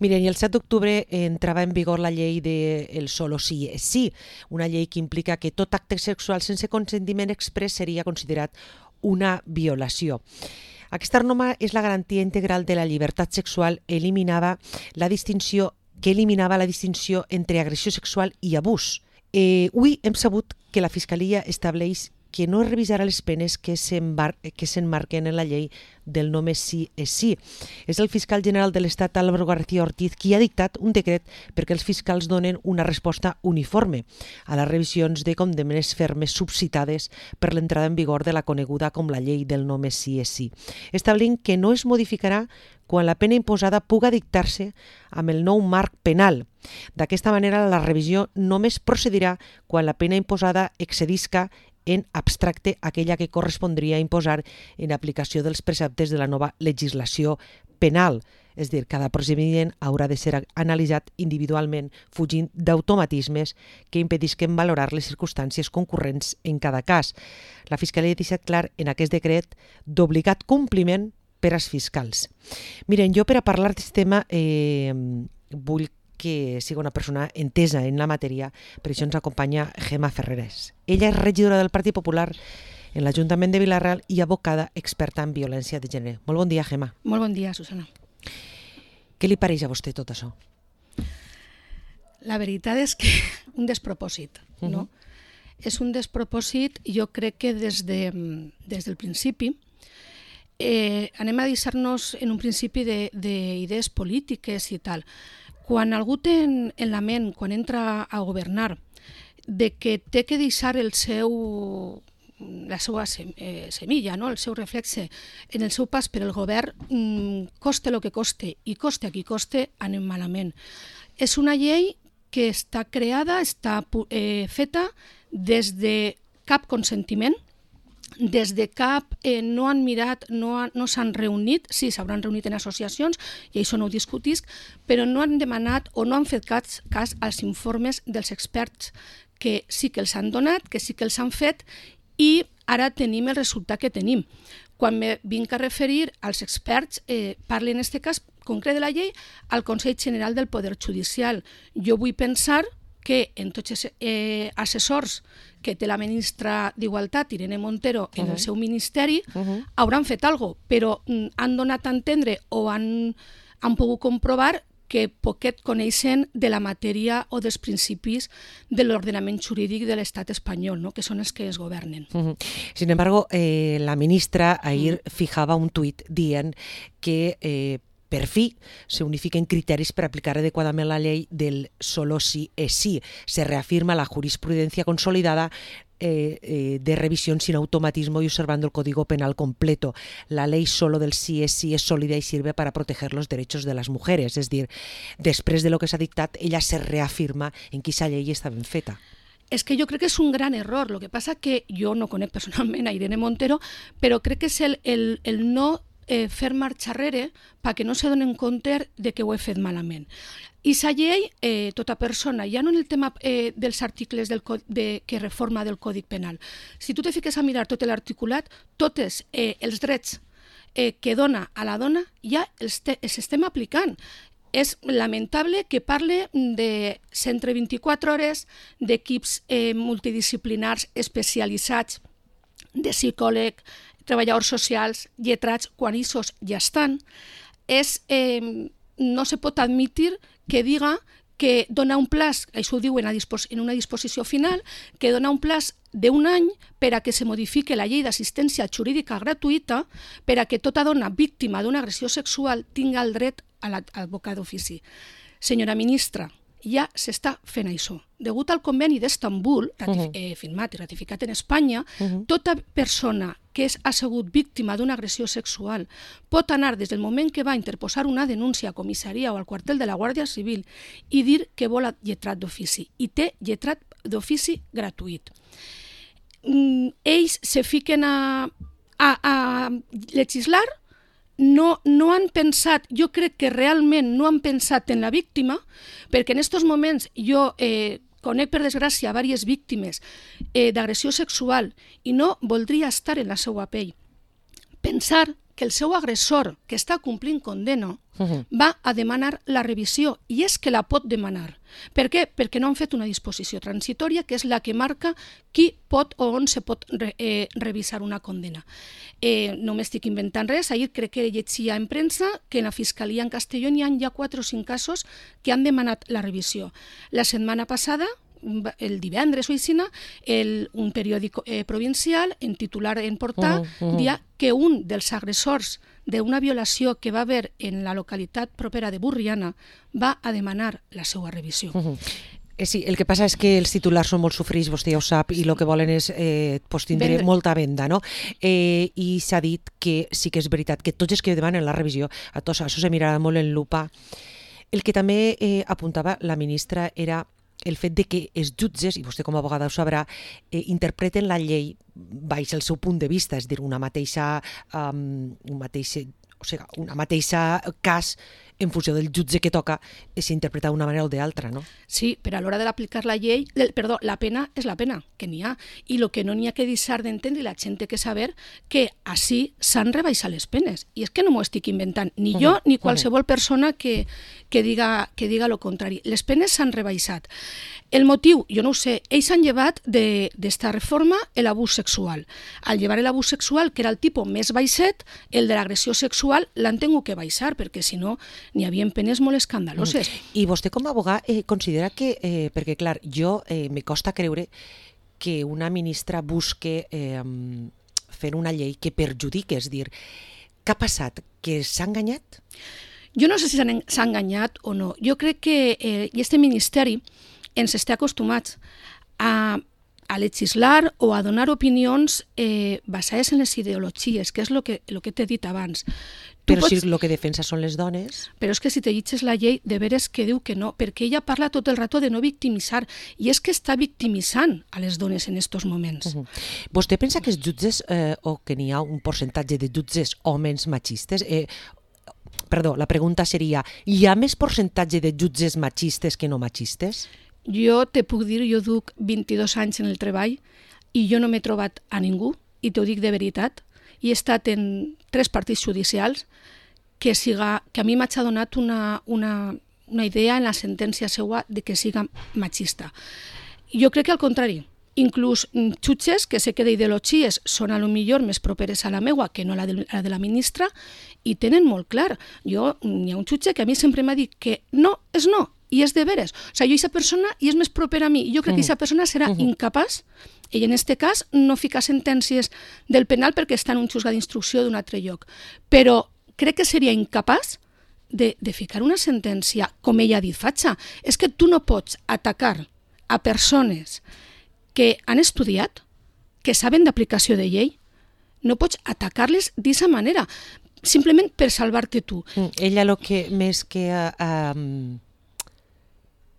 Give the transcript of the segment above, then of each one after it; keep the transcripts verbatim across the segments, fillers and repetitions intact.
Miren, i el set d'octubre entrava en vigor la llei de el solo sí és sí, una llei que implica que tot acte sexual sense consentiment express seria considerat una violació. Aquesta norma és la garantia integral de la llibertat sexual, eliminava la distinció que eliminava la distinció entre agressió sexual i abús. Eh, avui hem sabut que la Fiscalia estableix que no es revisarà les penes que s'emmarquen en la llei del només sí és sí. És el fiscal general de l'Estat, Álvaro García Ortiz, qui ha dictat un decret perquè els fiscals donen una resposta uniforme a les revisions de condemnes fermes subcitades per l'entrada en vigor de la coneguda com la llei del només sí és sí, establint que no es modificarà quan la pena imposada puga dictar-se amb el nou marc penal. D'aquesta manera, la revisió només procedirà quan la pena imposada excedisca en abstracte aquella que correspondria imposar en aplicació dels preceptes de la nova legislació penal. És a dir, cada procediment haurà de ser analitzat individualment, fugint d'automatismes que impedisquen valorar les circumstàncies concurrents en cada cas. La Fiscalia ha deixat clar en aquest decret d'obligat compliment per als fiscals. Miren, jo per a parlar d'aquest tema eh, vull que sigui una persona entesa en la matèria, per això ens acompanya Gemma Ferreres. Ella és regidora del Partit Popular en l'Ajuntament de Vila-real i abocada experta en violència de gènere. Molt bon dia, Gemma. Molt bon dia, Susana. Què li pareix a vostè tot això? La veritat és que un despropòsit, no? Uh-huh. És un despropòsit, jo crec que des, de, des del principi eh, anem a deixar-nos en un principi d'idees polítiques i tal. Quan algú té en, en la ment, quan entra a governar, de que té que deixar el seu, la seva semilla, no? El seu reflexe en el seu pas per el govern, coste el que coste i coste a qui coste, anem malament. És una llei que està creada, està eh, feta des de cap consentiment, des de cap eh, no han mirat, no, han, no s'han reunit, sí, s'hauran reunit en associacions, i això no ho discutisc, però no han demanat o no han fet cas, cas als informes dels experts que sí que els han donat, que sí que els han fet, i ara tenim el resultat que tenim. Quan me vinc a referir als experts, eh, parlo en aquest cas concret de la llei al Consell General del Poder Judicial. Jo vull pensar que en tots els eh, assessors que té la ministra d'Igualtat, Irene Montero, en uh-huh. el seu ministeri, uh-huh. hauran fet alguna cosa, però mm, han donat a entendre o han, han pogut comprovar que poquet coneixen de la matèria o dels principis de l'ordenament jurídic de l'estat espanyol, no? Que són els que es governen. Uh-huh. Sin embargo, eh, la ministra ahir uh-huh. fijava un tuit dient que eh, per fi se unifiquen criteris per aplicar adequadament la llei del solo sí és sí. Se reafirma la jurisprudencia consolidada eh, eh, de revisión sin automatismo y observando el Código Penal completo. La ley solo del sí és sí es sólida y sirve para proteger los derechos de las mujeres. És dir, després de lo que s'ha dictat, ella se reafirma en que aquesta llei està ben feta. És que jo crec que és un gran error. Lo que passa que jo no conec personalment a Irene Montero, però crec que és el, el, el no Eh, fer marxa enrere perquè no se donen compte de que ho he fet malament. I la llei, eh, tota persona, ja no en el tema eh, dels articles del, de, que reforma del Codi Penal. Si tu te fiques a mirar tot l'articulat, tots eh, els drets eh, que dona a la dona ja els, te, els estem aplicant. És lamentable que parle de cent vint-i-quatre hores, d'equips eh, multidisciplinars especialitzats, de psicòleg, treballadors socials, lletrats, quan ells ja estan, és, eh, no se pot admitir que diga que dona un plaç, això ho diuen en una disposició final, que dona un plaç d'un any per a que se modifique la llei d'assistència jurídica gratuïta per a que tota dona víctima d'una agressió sexual tinga el dret a l'advocat d'ofici. Senyora ministra, ja s'està fent això. Degut al conveni d'Estambul, uh-huh. eh, firmat i ratificat en Espanya, uh-huh. tota persona que és assegut víctima d'una agressió sexual pot anar des del moment que va interposar una denúncia a comissaria o al quartel de la Guàrdia Civil i dir que vol lletrat d'ofici. I té lletrat d'ofici gratuït. Mm, ells se fiquen a, a, a legislar. No, no han pensat, jo crec que realment no han pensat en la víctima, perquè en aquests moments jo eh, conec per desgràcia diverses víctimes eh, d'agressió sexual i no voldria estar en la seva pell. Pensar que el seu agressor, que està complint condena, uh-huh. va a demanar la revisió, i és que la pot demanar. Per què? Perquè no han fet una disposició transitòria, que és la que marca qui pot o on se pot re, eh, revisar una condena. Eh, no m'estic inventant res, ahir crec que llegia en premsa que en la Fiscalia en Castelló n'hi ha ja quatre o cinc casos que han demanat la revisió. La setmana passada, el divendres o així, el, un periòdic eh, provincial, en titular en portada, uh -huh. dia que un dels agressors d'una violació que va haver en la localitat propera de Burriana va a demanar la seva revisió. Uh -huh. Eh, sí, el que passa és que els titulars són molt sofrits, vostè ja ho sap, i el que volen és eh, pues, tindre Vendre. molta venda, no? Eh, I s'ha dit que sí que és veritat que tots els que demanen la revisió, a tots això se mirarà molt en lupa. El que també eh, apuntava la ministra era el fet de que els jutges, i vostè com a abogada ho sabrà, eh, interpreten la llei baix el seu punt de vista, és a dir, una mateixa, um, un mateix, o sigui, una mateixa cas en funció del jutge que toca s'interpreta d'una manera o d'altra, no? Sí, però a l'hora d'aplicar la llei, perdó, la pena és la pena que n'hi ha, i el que no n'hi ha que deixar d'entendre, la gent té que saber que així s'han rebaixat les penes, i és que no m'ho estic inventant, ni jo uh-huh. ni qualsevol persona que, que diga que diga el contrari. Les penes s'han rebaixat. El motiu, jo no ho sé, ells han llevat d'esta reforma l'abús sexual. Al llevar l'abús sexual, que era el tipus més baixet, el de l'agressió sexual l'han tingut que baixar, perquè si no n'hi havia penes molt escandaloses. Mm. I vostè com a abogat eh, considera que, eh, perquè clar, jo eh, me costa creure que una ministra busque eh, fer una llei que perjudique, és dir, què ha passat? Que s'ha enganyat? Jo no sé si s'ha enganyat o no. Jo crec que eh, i este ministeri ens està acostumats a, a legislar o a donar opinions eh, basades en les ideologies, que és el que, lo que t'he dit abans. Tu però pots... si el que defensa són les dones... Però és que si te llegeixes la llei, de veres que diu que no, perquè ella parla tot el rato de no victimitzar, i és que està victimitzant a les dones en estos moments. Uh -huh. Vostè pensa que els jutges, eh, o que n'hi ha un percentatge de jutges homes machistes... Eh, perdó, la pregunta seria, hi ha més percentatge de jutges machistes que no machistes? Jo te puc dir, jo duc vint-i-dos anys en el treball i jo no m'he trobat a ningú, i t'ho dic de veritat, i he estat en tres partits judicials que, siga, que a mi m'ha donat una, una, una idea en la sentència seva de que siga machista. Jo crec que al contrari, inclús jutges que sé que d'ideologies són a lo millor més properes a la meua que no a la de, a la de la ministra, i tenen molt clar. Jo, hi ha un jutge que a mi sempre m'ha dit que no és no, i és de veres. O sigui, jo aquesta persona i és més propera a mi, i jo crec que aquesta persona serà uh-huh. incapaç, i en aquest cas no fica sentències del penal perquè està en un juzgat d'instrucció d'un altre lloc, però crec que seria incapaç de, de ficar una sentència com ella ha dit, fatxa. És que tu no pots atacar a persones que han estudiat, que saben d'aplicació de llei, no pots atacar-les d'aquesta manera, simplement per salvar-te tu. Ella el que més que... Uh,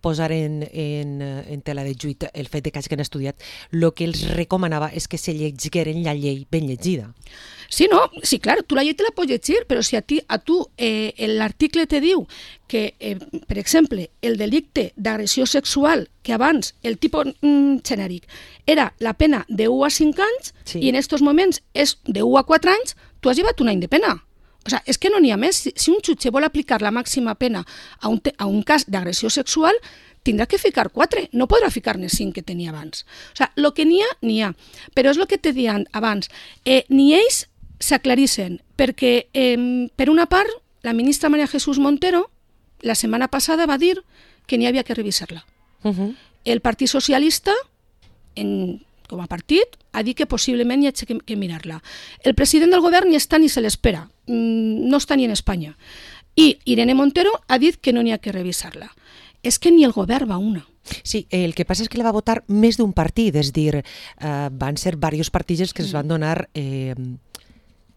posar en, en, en tela de juit el fet de que hagin estudiat, el que els recomanava és que se llegigueren la llei ben llegida. Sí, no, sí, clar, tu la llei te la pots llegir, però si a, ti, a tu eh, l'article te diu que, eh, per exemple, el delicte d'agressió sexual, que abans el tipus mm, genèric era la pena de u a cinc anys, sí. i en aquests moments és de u a quatre anys, tu has llevat un any de pena. O sea, és que no n'hi ha més. Si, si un jutge vol aplicar la màxima pena a un, te, a un cas d'agressió sexual, tindrà que ficar quatre, no podrà ficar-ne cinc que tenia abans. O sea, el que n'hi ha, n'hi ha. Però és el que te deien abans. Eh, ni ells s'aclarissen, perquè, eh, per una part, la ministra María Jesús Montero, la setmana passada va dir que n'hi havia que revisar-la. Uh-huh. El Partit Socialista, en... com a partit, ha dit que possiblement hi ha que, que mirar-la. El president del govern ni està ni se l'espera, no està ni en Espanya. I Irene Montero ha dit que no n'hi ha que revisar-la. És que ni el govern va una. Sí, el que passa és que la va votar més d'un partit, és dir, eh, van ser diversos partits els que es van donar... Eh,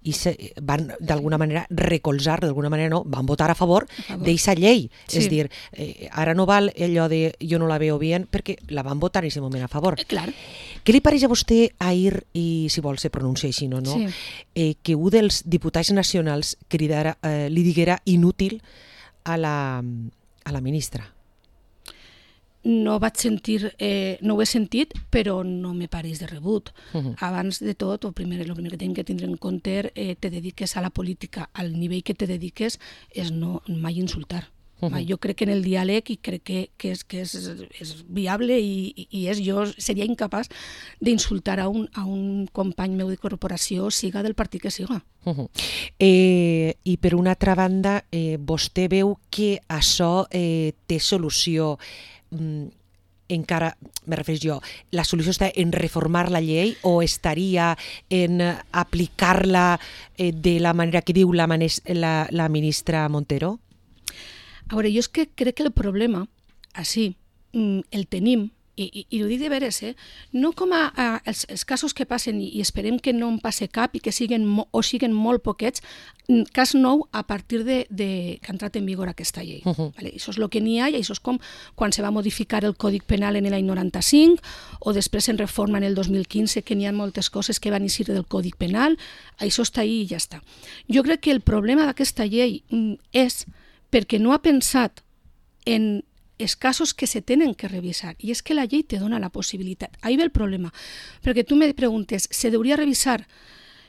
i se, van d'alguna manera recolzar, d'alguna manera no, van votar a favor, favor. d'aquesta llei. Sí. És dir, eh, ara no val allò de jo no la veo bien, perquè la van votar en aquest moment a favor. Eh, clar. Què li pareix a vostè ahir, i si vol se pronuncia així o no, sí. eh, que un dels diputats nacionals cridara, eh, li diguera inútil a la, a la ministra? no vaig sentir, eh, no ho he sentit, però no me pareix de rebut. Uh-huh. Abans de tot, el primer, el primer que tinc que tindre en compte, eh, te dediques a la política, al nivell que te dediques, és no mai insultar. Uh-huh. Jo crec que en el diàleg i crec que, que, és, que és, és viable i, i és, jo seria incapaç d'insultar a un, a un company meu de corporació, siga del partit que siga. Uh-huh. eh, I per una altra banda, eh, vostè veu que això eh, té solució, mm, encara, me refereixo jo, la solució està en reformar la llei o estaria en aplicar-la eh, de la manera que diu la, la, la ministra Montero? A veure, jo és que crec que el problema, així, el tenim, i, i, i ho dic de veres, eh? No com a, a els, els casos que passen, i, i esperem que no en passe cap i que siguen mo, o siguen molt poquets, cas nou a partir de, de que ha entrat en vigor aquesta llei. Uh-huh. Vale? Això és el que n'hi ha, i això és com quan se va modificar el Còdic Penal en l'any noranta-cinc, o després en reforma en el dos mil quinze, que n'hi ha moltes coses que van eixir del Còdic Penal, això està ahí i ja està. Jo crec que el problema d'aquesta llei és perquè no ha pensat en els casos que se tenen que revisar. I és que la llei te dona la possibilitat. Ahí ve el problema. Perquè tu me preguntes, ¿se deuria revisar?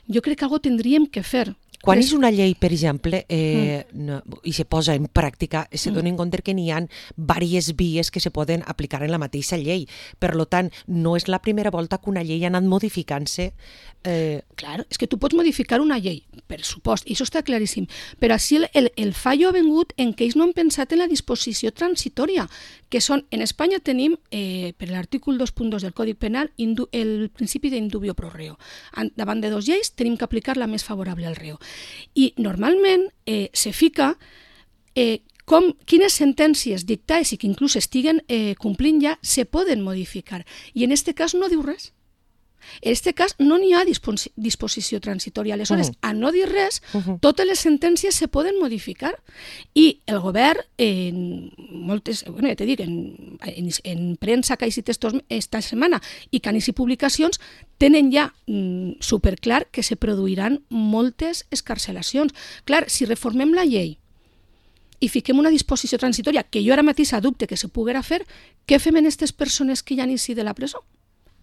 Jo crec que algo tindríem que fer. Quan és una llei, per exemple, eh, mm. no, i se posa en pràctica, se dona en compte que n'hi ha diverses vies que se poden aplicar en la mateixa llei. Per tant, no és la primera volta que una llei ha anat modificant-se. Eh... Clar, és que tu pots modificar una llei, per supost, i això està claríssim, però així el, el, el fallo ha vengut en que ells no han pensat en la disposició transitòria, que són, en Espanya tenim, eh, per l'artícul dos punt dos del Còdic Penal, indu, el principi d'indubio pro reo. Davant de dos lleis tenim que aplicar la més favorable al reo. I normalment eh, se fica eh, com, quines sentències dictades i que inclús estiguen eh, complint ja se poden modificar. I en aquest cas no diu res. En aquest cas no n'hi ha disposi disposició transitòria. Aleshores, uh-huh. a no dir res, uh-huh. totes les sentències se poden modificar. I el govern, en moltes, bueno, ja te dic, en, en, en premsa que ha eixit esta setmana i que han eixit publicacions, tenen ja mm, superclar que se produiran moltes escarcelacions. Clar, si reformem la llei i fiquem una disposició transitòria, que jo ara mateix dubte que se poguera fer, què fem en aquestes persones que ja han eixit de la presó?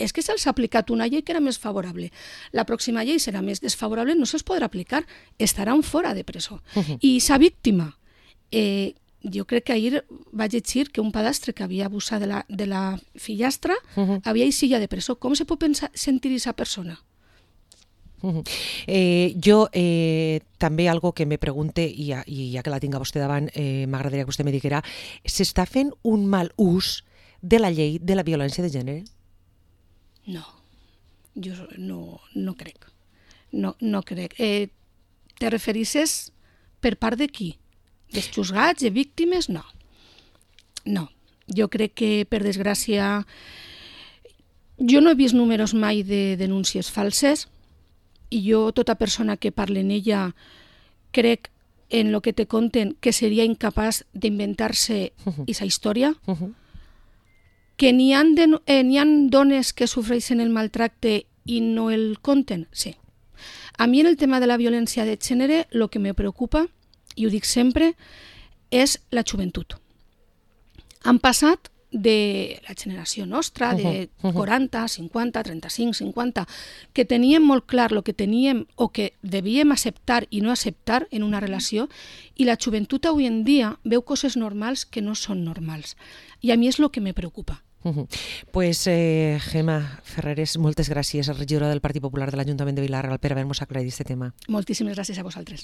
És que se'ls ha aplicat una llei que era més favorable. La pròxima llei serà més desfavorable, no se'ls podrà aplicar, estaran fora de presó. Uh-huh. I sa víctima, eh, jo crec que ahir vaig llegir que un padastre que havia abusat de la, de la fillastra uh-huh. havia eixit ja de presó. Com se pot pensar, sentir aquesta persona? Uh-huh. Eh, jo eh, també algo que me pregunte, i ja, i ja que la tinc a vostè davant, eh, m'agradaria que vostè me diguera, s'està fent un mal ús de la llei de la violència de gènere? No, jo no, no crec. No, no crec. Eh, te referisses per part de qui? Dels juzgats, de víctimes? No. No. Jo crec que, per desgràcia, jo no he vist números mai de denúncies falses i jo, tota persona que parla en ella, crec en lo que te conten que seria incapaç d'inventar-se uh-huh. aquesta història. Uh-huh. Que n'hi ha, de, eh, n'hi ha dones que sofreixen el maltracte i no el conten? Sí. A mi en el tema de la violència de gènere el que me preocupa, i ho dic sempre, és la joventut. Han passat de la generació nostra, de quaranta, cinquanta, trenta-cinc, cinquanta, que teníem molt clar el que teníem o que devíem acceptar i no acceptar en una relació, i la joventut avui en dia veu coses normals que no són normals. I a mi és el que me preocupa. Uh-huh. Pues eh, Gemma Ferreres, moltes gràcies, regidora del Partit Popular de l'Ajuntament de Vila-real, per haver-nos aclarit aquest tema. Moltíssimes gràcies a vosaltres.